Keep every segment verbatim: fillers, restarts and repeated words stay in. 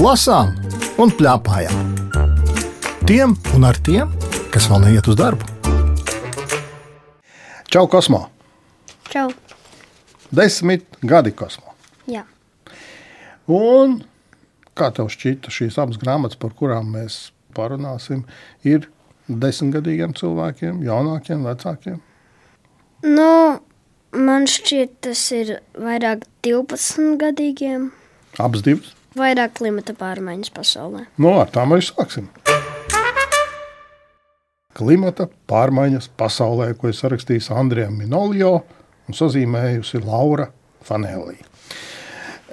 lasām un plēpājām. Tiem un ar tiem, kas vēl neiet uz darbu. Čau, Kosmo! Čau! Desmit gadi, Kosmo. Jā. Un kā tev šķita šīs abas grāmatas, par kurām mēs parunāsim, ir desmitgadīgiem cilvēkiem, jaunākiem, vecākiem? Nu, man šķiet, tas ir vairāk divpadsmitgadīgiem. Abas divas? Vairāk klimata pārmaiņas pasaulē. Nu, ar tām arī sāksim. Klimata pārmaiņas pasaulē, ko ir sarakstījis Andrija Minolio un sazīmējusi Laura Fanelli.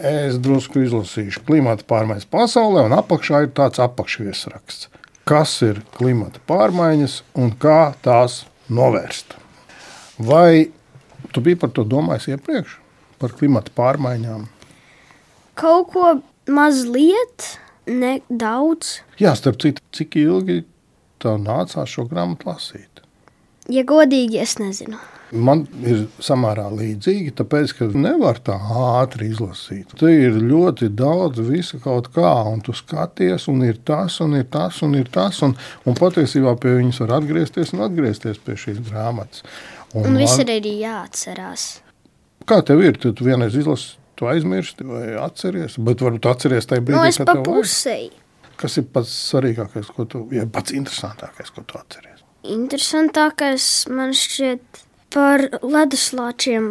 Es drusku izlasīšu klimata pārmaiņas pasaulē, un apakšā ir tāds apakšviesraksts. Kas ir klimata pārmaiņas un kā tās novērst? Vai tu biji par to domājis iepriekš? Par klimata pārmaiņām? Kaut ko mazliet, ne daudz. Jā, starp citu, cik ilgi tev nācās šo grāmatu lasīt? Ja godīgi, es nezinu. Man ir samērā līdzīgi, tāpēc, ka nevar tā ātri izlasīt. Te ir ļoti daudz visa kaut kā, un tu skaties, un ir tas, un ir tas, un ir tas, un, un patiesībā pie viņas var atgriezties un atgriezties pie šīs grāmatas. Un, un viss ir arī jāatcerās. Kā tev ir? Tu vienreiz izlasi, tu aizmirsti vai atceries? Bet varbūt atceries tajā brīdī, no, es kad pa tev pusei. Vajag. Kas ir pats svarīgākais, ko tu, ja pats interesantākais, ko tu atceries? Interesantākais man šķiet par leduslāčiem,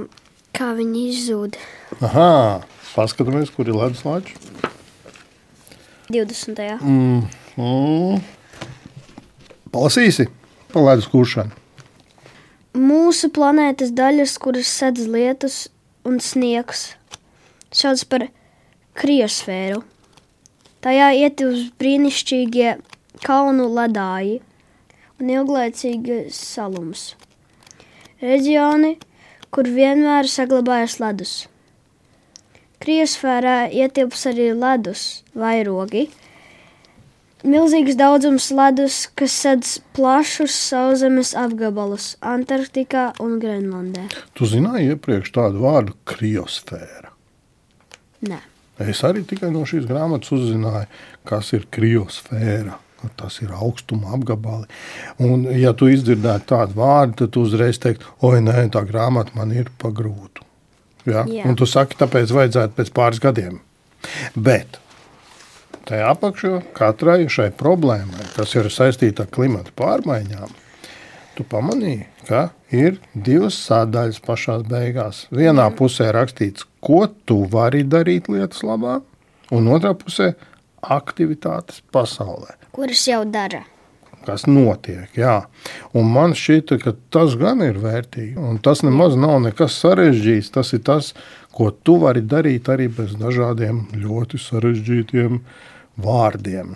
kā viņi izzūd. Aha, paskatāmies, kur ir leduslāči. divdesmitajā Mm, mm. Palasīsi par ledus kūšanu. Mūsu planētas daļas, kuras sedz lietus un sniegs, sauc par kriosfēru. Tajā ietilpst brīnišķīgie kalnu ledāji un ilglaicīgais salums. Reģioni, kur vienmēr saglabājas ledus. Kriosfērā ietilpst arī ledus vairogi, milzīgs daudzums ledus, kas sedz plašus sauszemes apgabalus Antarktikā un Grenlandē. Tu zināji iepriekš tādu vārdu kriosfēra? Nē. Es arī tikai no šīs grāmatas uzzināju, kas ir kriosfēra. Tas ir augstuma apgabali. Un, ja tu izdzirdētu tādu vārdu, tad tu uzreiz teiktu, oi, nē, tā grāmata man ir pa grūtu. Ja? Jā. Un tu saki, tāpēc vajadzētu pēc pāris gadiem. Bet tajā apakšā katrai šai problēmai, kas ir saistīta ar klimata pārmaiņām, tu pamanīji, ka ir divas sadaļas pašās beigās. Vienā pusē rakstīts, ko tu vari darīt lietas labā, un otrā pusē aktivitātes pasaulē. Kuras jau dara. Kas notiek, jā. Un man šķita, ka tas gan ir vērtīgi. Un tas nemaz nav nekas sarežģīts. Tas ir tas, ko tu vari darīt arī bez dažādiem ļoti sarežģītiem vārdiem.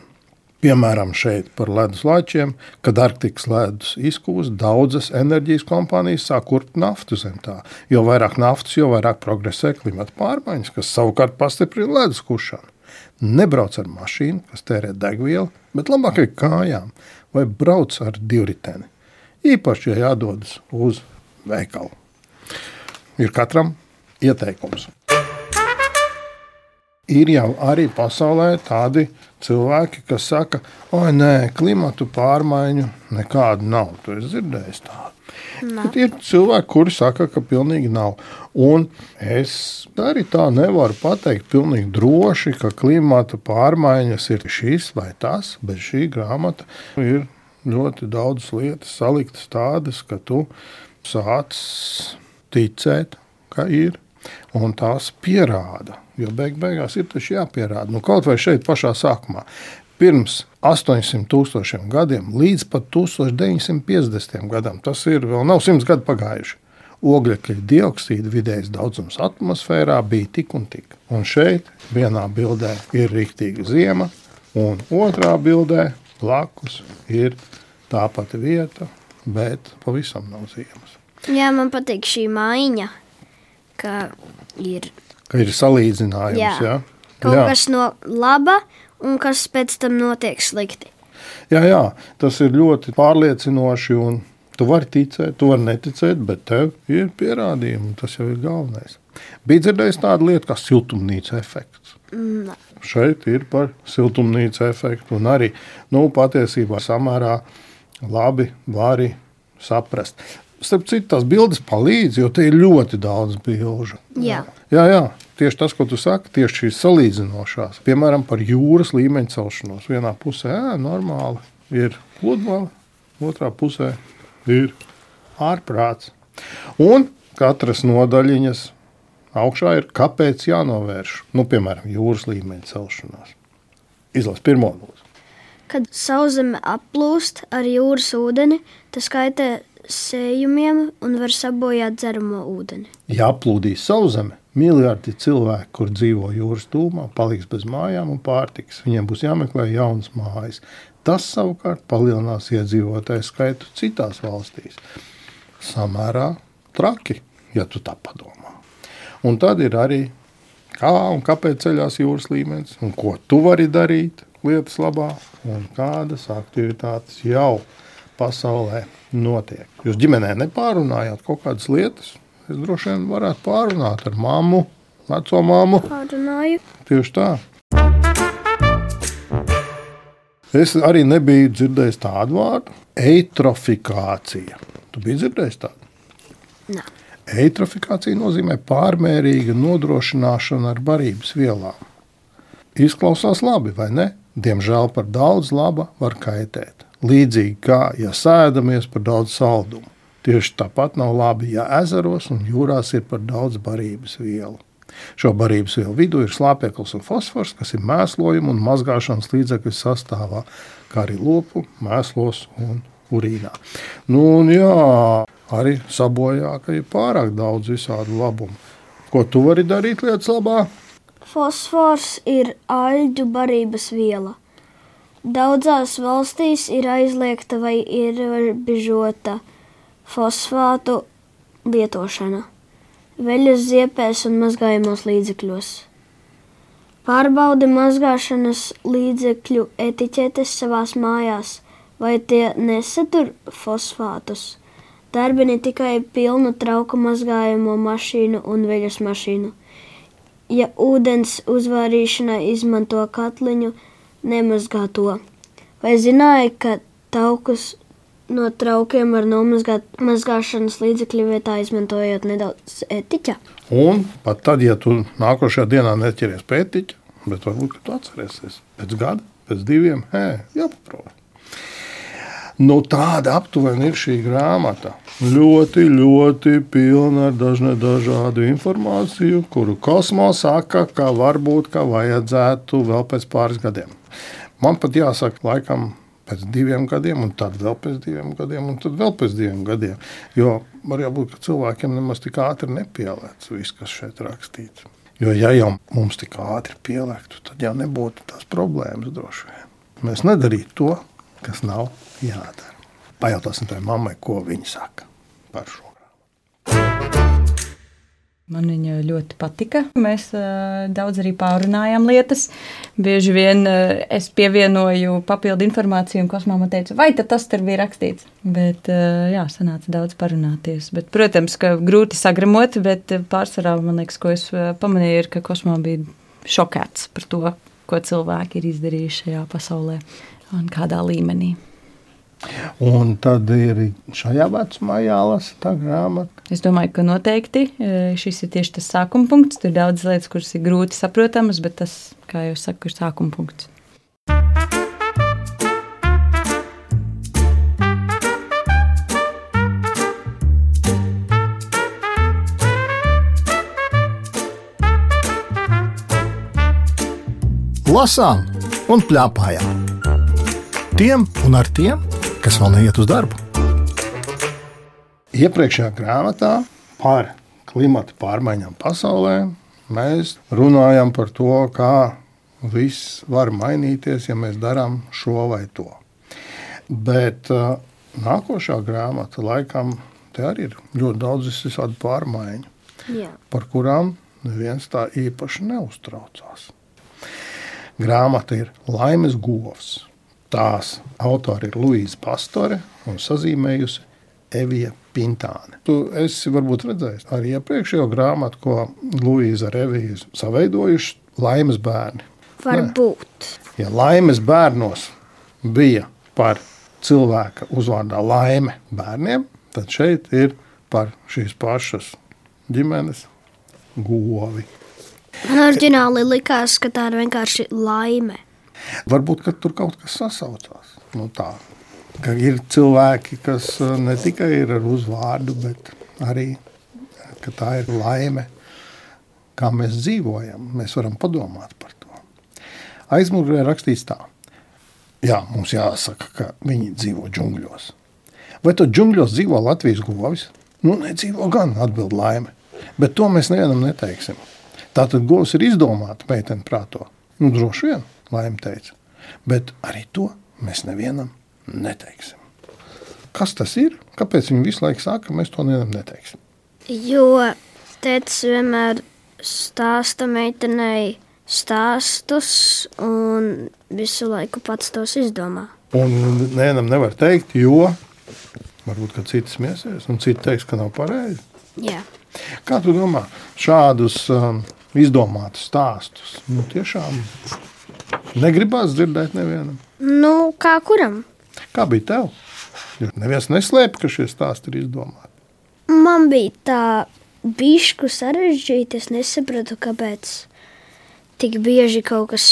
Piemēram, šeit par leduslāčiem, kad Arktikas ledus izkūst, daudzas enerģijas kompānijas sāk kurpt naftu zem tā. Jo vairāk naftas, jo vairāk progresē klimata pārmaiņas, kas savukārt pastiprina ledus kušanu. Nebrauc ar mašīnu, kas tērē degvielu, bet labāk ar kājām vai brauc ar divriteni. Īpaši, ja jādodas uz veikalu. Ir katram ieteikums. Ir jau arī pasaulē tādi cilvēki, kas saka, oi nē, klimatu pārmaiņu nekādu nav. Tu esi dzirdējis tādu. Bet ir cilvēki, kuri saka, ka pilnīgi nav. Un es arī tā nevaru pateikt pilnīgi droši, ka klimata pārmaiņas ir šis vai tas, bet šī grāmata ir ļoti daudz lietas saliktas tādas, ka tu sāc ticēt, ka ir, un tās pierāda. Jo beig beigās ir taču jāpierāda. Nu, kaut vai šeit pašā sākumā. Pirms astoņsimt tūkstošiem gadiem līdz pat tūkstoš deviņsimt piecdesmitiem gadam, tas ir vēl nav simts gadu pagājuši, ogļekļa dioksīda vidējais daudzums atmosfērā bija tik un tik. Un šeit vienā bildē ir riktīga ziema, un otrā bildē blakus ir tā pati vieta, bet pavisam nav ziemas. Jā, man patīk šī maiņa, ka ir, ka ir salīdzinājums, jā, jā? Kaut jā. kas no laba, un kas pēc tam notiek slikti. Jā, jā, tas ir ļoti pārliecinoši, un tu vari ticēt, tu vari neticēt, bet tev ir pierādījumi, un tas jau ir galvenais. Bija dzirdējis tādu lietu kā siltumnīca efekts. Mm. Šeit ir par siltumnīca efektu un arī, nu, patiesībā samērā labi vari saprast. Starp citu, tās bildes palīdz, jo te ir ļoti daudz bilžu. Jā. Jā, jā, tieši tas, ko tu saki, tieši šīs salīdzinošās. Piemēram, par jūras līmeņa celšanos. Vienā pusē, jā, normāli ir pludmale, otrā pusē ir ārprāts. Un katras nodaļiņas augšā ir, kāpēc jānovērš, nu, piemēram, jūras līmeņa celšanās. Izlas pirmo lūdzu. Kad sauszeme aplūst ar jūras ūdeni, tas kaitē sējumiem un var sabojāt dzeramo ūdeni. Ja aplūdīs sauszeme, miljardi cilvēku, kur dzīvo jūras tūmā, paliks bez mājām un pārtikas. Viņiem būs jāmeklē jaunas mājas. Tas savukārt palielinās iedzīvotāju skaitu citās valstīs. Samērā traki, ja tu tā padomā. Un tad ir arī, kā un kāpēc ceļās jūras līmenis, un ko tu vari darīt lietas labā, un kādas aktivitātes jau pasaulē notiek. Jūs ģimenē nepārunājāt kaut kādas lietas? Es droši vien varētu pārunāt ar mammu, veco mammu. Pārunāju. Tieši tā. Es arī nebiju dzirdējis tādu vārdu. Eitrofikācija. Tu biji dzirdējis tādu? Nē. Eitrofikācija nozīmē pārmērīga nodrošināšana ar barības vielām. Izklausās labi, vai ne? Diemžēl par daudz laba var kaitēt. Līdzīgi kā, ja sēdamies par daudz saldumu. Tieši tāpat nav labi, ja ezeros un jūrās ir par daudz barības vielu. Šo barības vielu vidū ir slāpeklis un fosfors, kas ir mēslojuma un mazgāšanas līdzekļu sastāvā, kā arī lopu, mēslos un urīnā. Nu, un jā, arī sabojā, ka ir pārāk daudz visādu labumu. Ko tu vari darīt lietas labā? Fosfors ir aļģu barības viela. Daudzās valstīs ir aizliegta vai ierobežota fosfātu lietošana veļas ziepēs un mazgājumos līdzekļos. Pārbaudi mazgāšanas līdzekļu etiķetes savās mājās, vai tie nesatur fosfātus. Darbini tikai pilnu trauku mazgājumu mašīnu un veļas mašīnu. Ja ūdens uzvārīšanai izmanto katliņu, nemazgā to. Vai zināji, ka taukus no traukiem var nomazgāt mazgāšanas līdzekļu vietā, izmantojot nedaudz etiķa? Un pat tad, ja tu nākošajā dienā neķeries pie etiķa, bet varbūt, ka tu atcerēsies pēc gada, pēc diviem, hē, jāpaprot. Nu, tāda aptuveni ir šī grāmata. Ļoti, ļoti pilna ar dažne dažādu informāciju, kuru Kosmo saka, ka varbūt, ka vajadzētu vēl pēc pāris gadiem. Man pat jāsaka, laikam pēc diviem gadiem, un tad vēl pēc diviem gadiem, un tad vēl pēc diviem gadiem. Jo var jābūt, ka cilvēkiem nemaz tik ātri nepielēts viss, kas šeit rakstīts. Jo ja jau mums tik ātri pielēktu, tad jau nebūtu tās problēmas droši vien. Mēs nedarītu to, kas nav jādara. Pajautāsim tai mammai, ko viņa saka par šo. Man viņa ļoti patika. Mēs uh, daudz arī pārunājām lietas. Bieži vien uh, es pievienoju papildu informāciju, un Kosmā man teica, vai tad tas tur bija rakstīts. Bet, uh, jā, sanāca daudz parunāties. Bet, protams, ka grūti sagramot, bet pārsvarā, man liekas, ko es pamanīju, ir, ka Kosmā bija šokēts par to, ko cilvēki ir izdarījuši šajā pasaulē un kādā līmenī. Un tad ir šajā vecumā jālasa tā grāmata. Es domāju, ka noteikti šis ir tieši tas sākuma punkts. Tur ir daudz lietas, kuras ir grūti saprotamas, bet tas, kā jau saku, ir sākuma punkts. Lasām un pļāpājām. Tiem un ar tiem, kas vēl neiet uz darbu. Iepriekšējā grāmatā par klimata pārmaiņām pasaulē mēs runājam par to, kā viss var mainīties, ja mēs darām šo vai to. Bet uh, nākošā grāmata laikam te arī ir ļoti daudz visādi pārmaiņu, Jā. Par kurām neviens tā īpaši neuztraucās. Grāmata ir Laimes govs. Tās autori ir Luīza Pastore un sazīmējusi Evija Pintāne. Tu esi varbūt redzējis arī iepriekšējo grāmatu, ko Luīza ar Eviju saveidojuši, laimes bērni. Varbūt. Ja laimes bērnos bija par cilvēka uzvārdā laime bērniem, tad šeit ir par šīs pašas ģimenes govi. Man oriģināli likās, ka tā ir vienkārši laime. Varbūt, ka tur kaut kas sasaucās. Nu tā, ka ir cilvēki, kas ne tikai ir ar uzvārdu, bet arī, ka tā ir laime, kā mēs dzīvojam. Mēs varam padomāt par to. Aizmugurē rakstīts tā. Jā, mums jāsaka, ka viņi dzīvo džungļos. Vai to džungļos dzīvo Latvijas govis? Nu, nedzīvo gan, atbild laime. Bet to mēs nevienam neteiksim. Tātad govs ir izdomāta meiteni prāto. Nu, droši vien, laime teica. Bet arī to mēs nevienam neteiksim. Kas tas ir? Kāpēc viņi visu laiku saka, ka mēs to nevienam neteiksim? Jo tētis vienmēr stāsta meitenei stāstus un visu laiku pats tos izdomā. Un nevienam nevar teikt, jo varbūt, ka citi smiesies un citi teiks, ka nav pareizi. Jā. Kā tu domā, šādus um, izdomātus stāstus, nu tiešām negribās dzirdēt nevienam? Nu, kā kuram? Kā bija tev? Jo neviens neslēpa, ka šie stāsti ir izdomāti. Man bija tā bišku sarežģīti, es nesapratu, kāpēc tik bieži kaut kas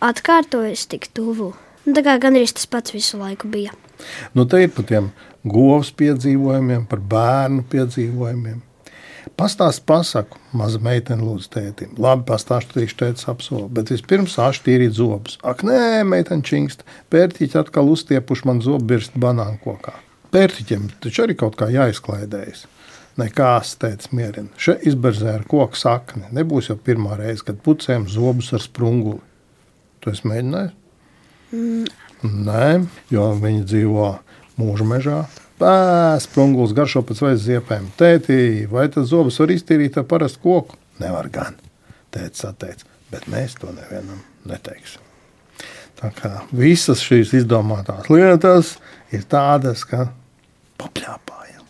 atkārtojas tik tuvu. Nu, tā kā gandrīz tas pats visu laiku bija. Nu, te ir par tiem govs piedzīvojumiem, par bērnu piedzīvojumiem. Pastāst pasaku, maza meitene lūdzu tētim. Labi, pastāstu trīši tētis apsola, bet vispirms sāš tīrīt zobus. Ak, nē, meitene čingst, pērtiķi atkal uztiepuši man zobu birst banānu kokā. Pērtiķiem taču arī kaut kā jāizklaidējas. Nekās, tētis mierina. Še izberzē ar koku sakni. Nebūs jau pirmā reize, kad pucējam zobus ar sprunguli. Tu esi mēģinājis? Mm. Nē, jo viņi dzīvo mūža mežā. Pē, sprungulis garšo pēc vairs ziepēm. Tētī, vai tas zobus var iztīrīt ar parastu koku? Nevar gan, tētis atteica, bet mēs to nevienam neteiksim. Tā kā visas šīs izdomātās lietas ir tādas, ka papļāpājam.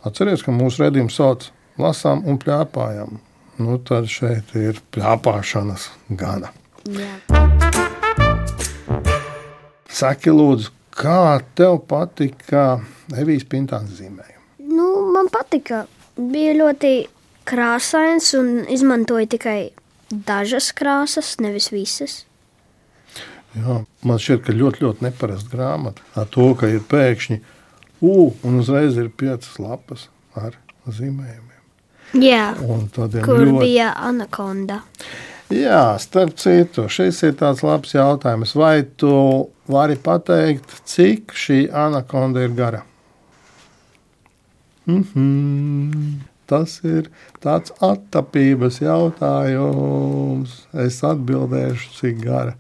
Atceries, ka mūsu redzījums sauc lasām un pļāpājam. Nu, tad šeit ir pļāpāšanas gana. Jā. Saki, lūdzu, kā tev patika Evijas Pintāns zīmējumi? Nu, man patika. Bija ļoti krāsains un izmantoja tikai dažas krāsas, nevis visas. Jā, man šķiet, ka ļoti, ļoti neparasta grāmata. Ar to, ka ir pēkšņi U, un uzreiz ir piecas lapas ar zīmējumiem. Jā, kur ļoti... bija anakonda. Jā, starp citu, šis ir tāds labs jautājums. Vai tu vari pateikt, cik šī anakonda ir gara? Mm-hmm. Tas ir tāds attapības jautājums. Es atbildēšu, cik gara.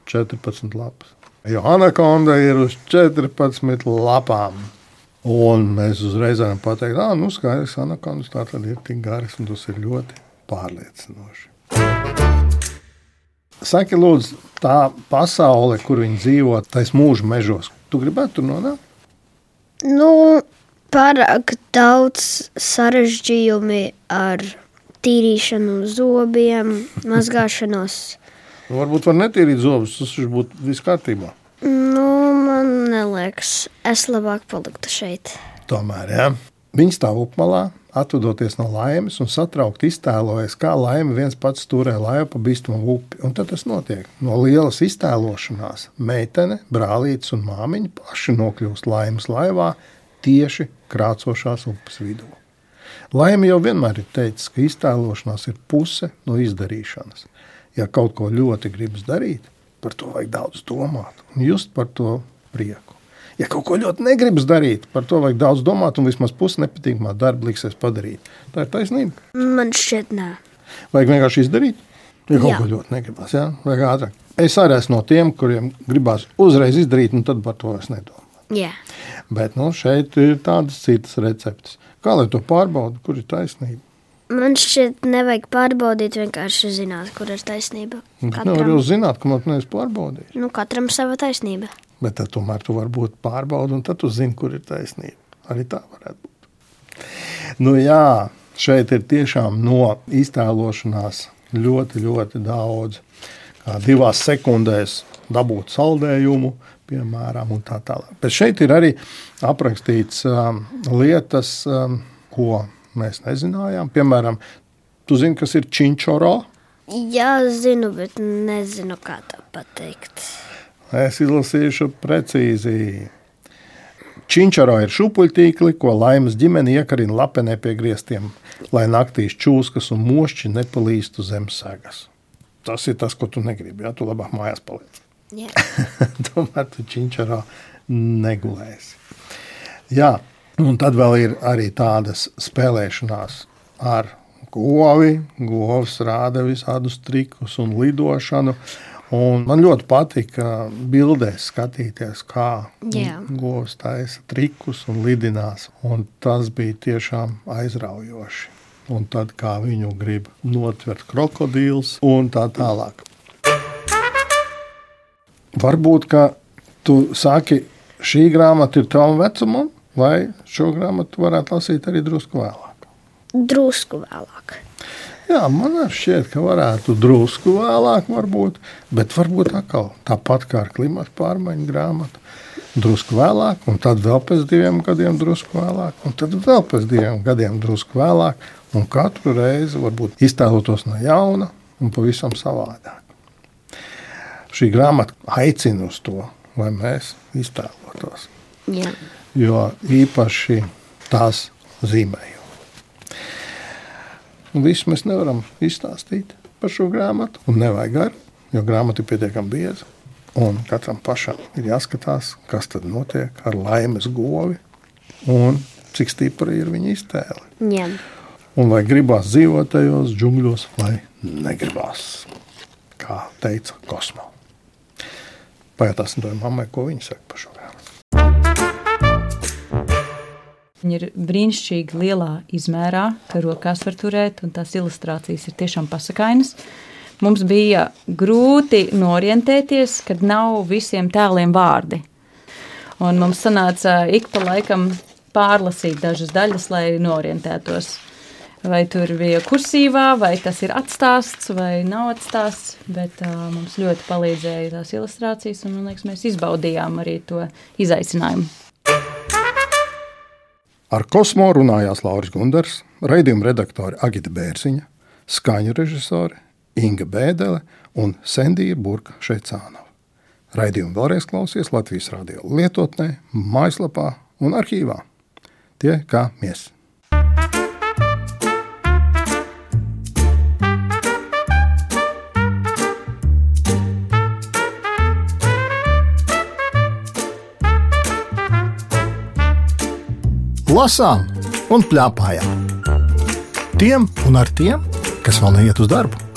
četrpadsmit lapas. Jo anakonda ir uz četrpadsmit lapām. Un mēs uzreiz varam pateikt, ka nu, skaidrs, anakondas tā tad ir tik garas, un tas ir ļoti pārliecinoši. Saki, lūdzu, tā pasaule, kur viņi dzīvo, tais mūža mežos, tu gribētu tur nonākt? Nu, pārāk daudz sarežģījumi ar tīrīšanu zobiem, mazgāšanos. Varbūt var netīrīt zobus, tas būtu viss kārtībā. Nu, man neliekas, es labāk paliktu šeit. Tomēr, jā. Viņi stāv upmalā, atvadoties no laimes un satraukt iztēlojas, kā laime viens pats turē laivu pa bīstamu upi. Un tad tas notiek. No lielas iztēlošanās meitene, brālītes un māmiņa paši nokļūst laimes laivā tieši krācošās upes vidū. Laime jau vienmēr ir teicis, ka iztēlošanās ir puse no izdarīšanas. Ja kaut ko ļoti gribas darīt, par to vajag daudz domāt un just par to prieku. Ja kaut ko ļoti negribas darīt, par to vajag daudz domāt un vismaz pusi nepatīkamā darba liksies padarīt. Tā ir taisnība. Man šķiet, nē. Vajag vienkārši izdarīt, ja kaut Jā. ko ļoti negribas. Ja? Vajag ātrāk. Es arī esmu no tiem, kuriem gribās uzreiz izdarīt un tad par to es nedomāju. Jā. Bet nu, šeit ir tādas citas receptes. Kā lai to pārbauda, kur ir taisnība? Man šķiet, nevajag pārbaudīt, vienkārši zināt, kur ir taisnība. Nevar jau zināt, ka man nevis pārbaudīt. Nu, katram sava taisnība. Bet tad tomēr tu vari būt pārbauda, un tad tu zini, kur ir taisnība. Arī tā varētu būt. Nu jā, šeit ir tiešām no iztēlošanās ļoti, ļoti daudz. Kā divās sekundēs dabūt saldējumu, piemēram, un tā tālāk. Bet šeit ir arī aprakstīts um, lietas, um, ko mēs nezinājām. Piemēram, tu zini, kas ir činčoro? Jā, zinu, bet nezinu, kā tā pateikt. Es izlasīšu precīzi. Činčaro ir šūpuļtīkli, ko Laimas ģimene iekarina lapenē pie griestiem, lai naktīs čūskas un mošķi nepalīstu zem segas. Tas ir tas, ko tu negribi, ja? Tu labāk mājās paliec. Jā. Tomēr tu činčaro negulēsi. Jā, un tad vēl ir arī tādas spēlēšanās ar govi. Govs rāda visādus trikus un lidošanu. Un man ļoti patika bildēs skatīties, kā Jā. govs taisa trikus un lidinās. Un tas bija tiešām aizraujoši. Un tad, kā viņu grib notvert krokodīls un tā tālāk. Varbūt, ka tu saki, šī grāmata ir tavam vecumam, vai šo grāmatu varētu lasīt arī drusku vēlāk? Drusku vēlāk. Jā, man šķiet, ka varētu drusku vēlāk varbūt, bet varbūt atkal tāpat kā ar klimatu pārmaiņu grāmatu. Drusku vēlāk, un tad vēl pēc diviem gadiem drusku vēlāk, un tad vēl pēc diviem gadiem drusku vēlāk, un katru reizi varbūt iztēlotos no jauna un pavisam savādāk. Šī grāmata aicina uz to, lai mēs iztēlotos, Jā. jo īpaši tās zīmēju. Un visu mēs nevaram izstāstīt par šo grāmatu, un nevajag garu, jo grāmata ir pietiekami bieza. Un katram pašam ir jāskatās, kas tad notiek ar Laimas govi un cik stipra ir viņa iztēle. Jā. Un vai gribās dzīvot tajos džungļos, vai negribās, kā teica Kosmo. Pajautāsim to mammai, ko viņa saka par šo grāmatu. Viņa ir brīnišķīgi lielā izmērā, ka rokās var turēt, un tās ilustrācijas ir tiešām pasakainas. Mums bija grūti norientēties, kad nav visiem tēliem vārdi. Un mums sanāca ik pa laikam pārlasīt dažas daļas, lai norientētos. Vai tur bija kursīvā, vai tas ir atstāsts, vai nav atstāsts, bet uh, mums ļoti palīdzēja tās ilustrācijas, un, man liekas, mēs izbaudījām arī to izaicinājumu. Ar Kosmo runājās Lauris Gundars, raidījuma redaktori Agita Bērziņa, skaņu režisori Inga Bēdele un Sendija Burka Šeicānova. Raidījumu vēlreiz klausies Latvijas radio lietotnē, mājaslapā un arhīvā. Tie kā mies. Lasām un pļāpājām. Tiem un ar tiem, kas vēl neiet uz darbu.